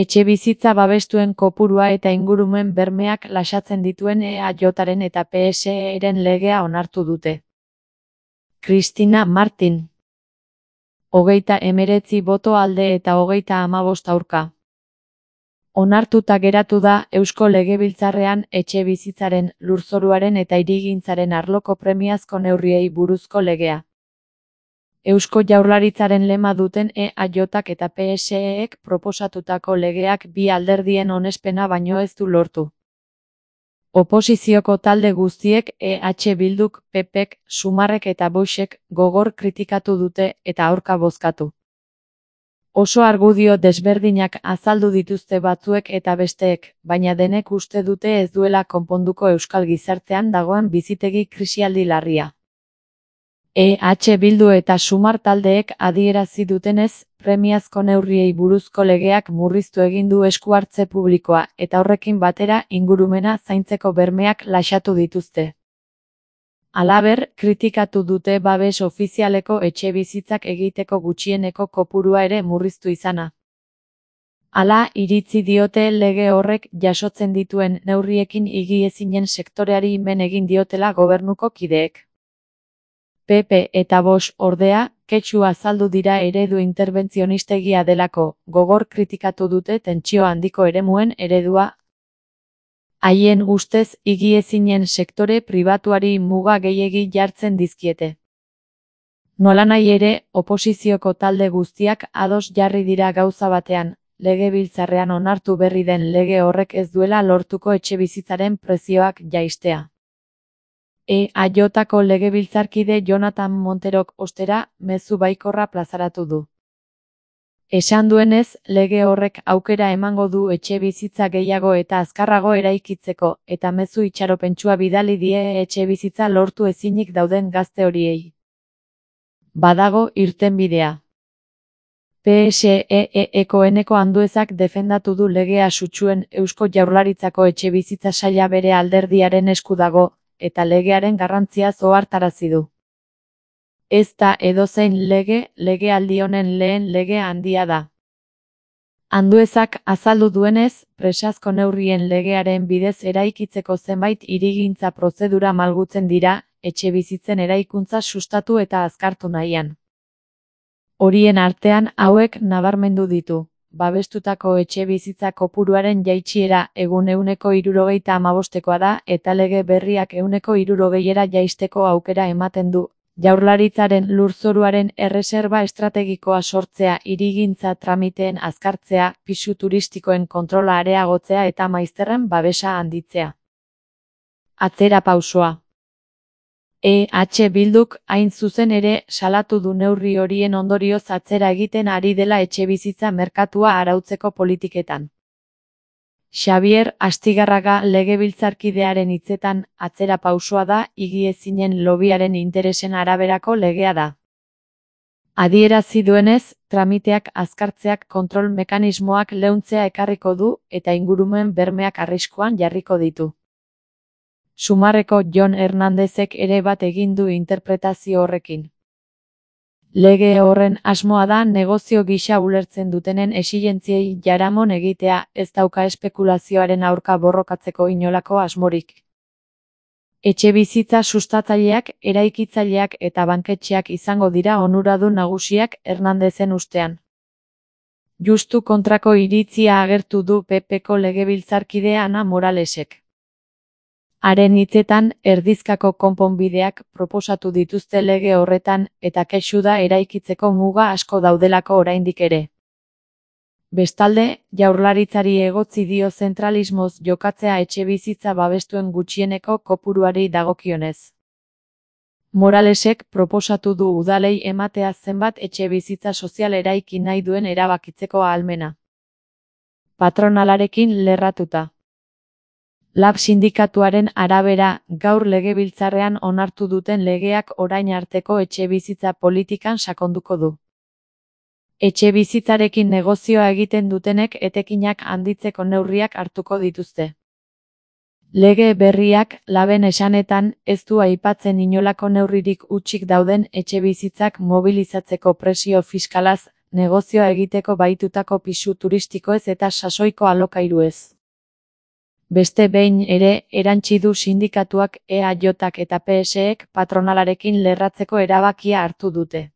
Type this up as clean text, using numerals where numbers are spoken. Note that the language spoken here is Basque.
Etxebizitza babestuen kopurua eta ingurumen bermeak lasatzen dituen EAJaren eta PSE-ren legea onartu dute. Cristina Martin. 39 boto alde eta 35 aurka. Onartuta geratu da Eusko Legebiltzarrean etxebizitzaren, lurzoruaren eta hirigintzaren arloko premiazko neurriei buruzko legea. Eusko Jaurlaritzaren lema duten EAJak eta PSEek proposatutako legeak bi alderdien onespena baino ez du lortu. Oposizioko talde guztiek EH Bilduk, PPek, Sumarrek eta Voxek gogor kritikatu dute eta aurka bozkatu. Oso argudio desberdinak azaldu dituzte batzuek eta besteek, baina denek uste dute ez duela konponduko euskal gizartean dagoen bizitegi krisialdi larria. EH Bildu eta Sumar taldeek adierazi dutenez, premiazko neurriei buruzko legeak murriztu egin du esku hartze publikoa eta horrekin batera ingurumena zaintzeko bermeak laxatu dituzte. Halaber, kritikatu dute babes ofizialeko etxebizitzak egiteko gutxieneko kopurua ere murriztu izana. Hala, iritzi diote lege horrek jasotzen dituen neurriekin higiezinen sektoreari men egin diotela gobernuko kideek. PP eta Vox ordea, kexu azaldu dira eredu interbentzionistegia delako, gogor kritikatu dute tentsio handiko eremuen eredua. Haien ustez, higiezinen sektore pribatuari muga gehiegi jartzen dizkiete. Nolanahi ere, oposizioko talde guztiak ados jarri dira gauza batean, Legebiltzarrean onartu berri den lege horrek ez duela lortuko etxebizitzaren prezioak jaistea. EAJko legebiltzarkide Jonathan Monterok ostera mezu baikorra plazaratu du. Esan duenez, lege horrek aukera emango du etxebizitza gehiago eta azkarrago eraikitzeko, eta mezu itxaropentsua bidali die etxebizitza lortu ezinik dauden gazte horiei. Badago irtenbidea. PSEeko Eneko Anduezak defendatu du legea sutsuen Eusko Jaurlaritzako etxebizitza saila bere alderdiaren esku dago, eta legearen garrantzia ohartarazi du. Ez da edozein legealdi honen lehen lege handia da. Anduezak azaldu duenez, presazko neurrien legearen bidez eraikitzeko zenbait hirigintza prozedura malgutzen dira, etxebizitzen eraikuntza sustatu eta azkartu nahian. Horien artean hauek nabarmendu ditu. Babestutako etxebizitza kopuruaren jaitsiera egun 75%koa da eta lege berriak 60%ra jaisteko aukera ematen du. Jaurlaritzaren lurzoruaren erreserba estrategikoa sortzea, hirigintza tramiteen azkartzea, pisu turistikoen kontrola areagotzea eta maizterren babesa handitzea. Atzera pausoa. EH Bilduk hain zuzen ere salatu du neurri horien ondorioz atzera egiten ari dela etxebizitza merkatua arautzeko politiketan. Xabier Astigarraga legebiltzarkidearen hitzetan, atzera pausoa da higiezinen lobiaren interesen araberako legea da. Adierazi duenez, tramiteak azkartzeak kontrol mekanismoak leuntzea ekarriko du eta ingurumen bermeak arriskuan jarriko ditu. Sumarreko Jon Hernandezek ere bat egin du interpretazio horrekin. Lege horren asmoa da negozio gisa ulertzen dutenen exigentziei jaramon egitea, ez dauka espekulazioaren aurka borrokatzeko inolako asmorik. Etxebizitza sustatzaileak, eraikitzaileak eta banketxeak izango dira onuradun nagusiak Hernandezen ustean. Justu kontrako iritzia agertu du PPko legebiltzarkide Ana Moralesek. Haren hitzetan, erdizkako konponbideak proposatu dituzte lege horretan eta kexu da eraikitzeko muga asko daudelako oraindik ere. Bestalde, Jaurlaritzari egotzi dio zentralismoz jokatzea etxebizitza babestuen gutxieneko kopuruari dagokionez. Moralesek proposatu du udalei ematea zenbat etxebizitza sozial eraiki nahi duen erabakitzeko ahalmena. Patronalarekin lerratuta. Lab sindikatuaren arabera, gaur legebiltzarrean onartu duten legeak orain arteko etxebizitza politikan sakonduko du. Etxebizitzarekin negozioa egiten dutenek etekinak handitzeko neurriak hartuko dituzte. Lege berriak, Laben esanetan, ez du aipatzen inolako neurririk hutsik dauden etxebizitzak mobilizatzeko presio fiskalaz negozioa egiteko bahitutako pisu turistikoez eta sasoiko alokairuez. Beste behin ere, erantsi du sindikatuak EAJak eta PSek patronalarekin lerratzeko erabakia hartu dute.